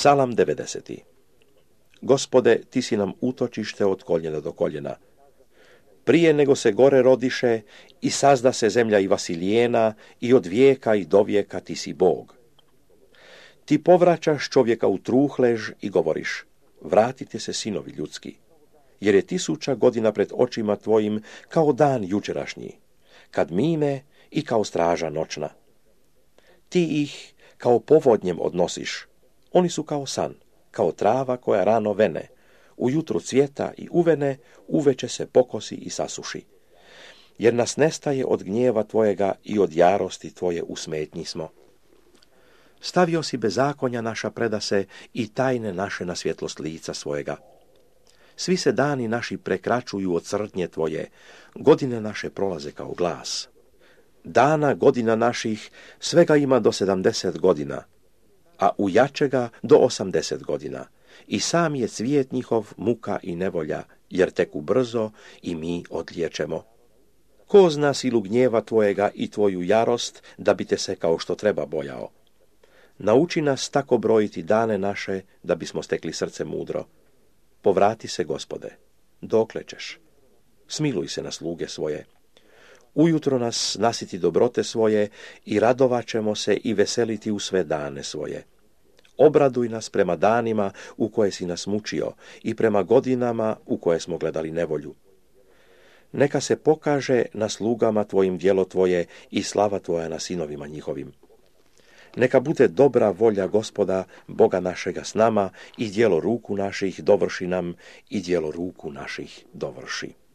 Psalam 90. Gospode, ti si nam utočište od koljena do koljena. Prije nego se gore rodiše i sazda se zemlja i vasilijena i od vijeka i do vijeka ti si Bog. Ti povraćaš čovjeka u truhlež i govoriš, vratite se sinovi ljudski, jer je 1000 godina pred očima tvojim kao dan jučerašnji, kad mine i kao straža noćna. Ti ih kao povodnjem odnosiš, oni su kao san, kao trava koja rano vene, ujutru cvjeta i uvene, uveče se pokosi i sasuši. Jer nas nestaje od gnjeva tvojega i od jarosti tvoje u smetnji smo. Stavio si bezakonja naša predase i tajne naše na svjetlost lica svojega. Svi se dani naši prekračuju od crtnje tvoje, godine naše prolaze kao glas. Dana godina naših svega ima do 70 godina, a u jačega do 80 godina. I sam je cvijet njihov muka i nevolja, jer teku brzo i mi odliječemo. Ko zna silu gnjeva tvojega i tvoju jarost, da bi te se kao što treba bojao? Nauči nas tako brojiti dane naše, da bismo stekli srce mudro. Povrati se, Gospode, dokle ćeš? Smiluj se na sluge svoje. Ujutro nas nasiti dobrote svoje i radovat ćemo se i veseliti u sve dane svoje. Obraduj nas prema danima u koje si nas mučio i prema godinama u koje smo gledali nevolju. Neka se pokaže na slugama tvojim djelo tvoje i slava tvoja na sinovima njihovim. Neka bude dobra volja Gospoda, Boga našega s nama i djelo ruku naših dovrši nam i djelo ruku naših dovrši.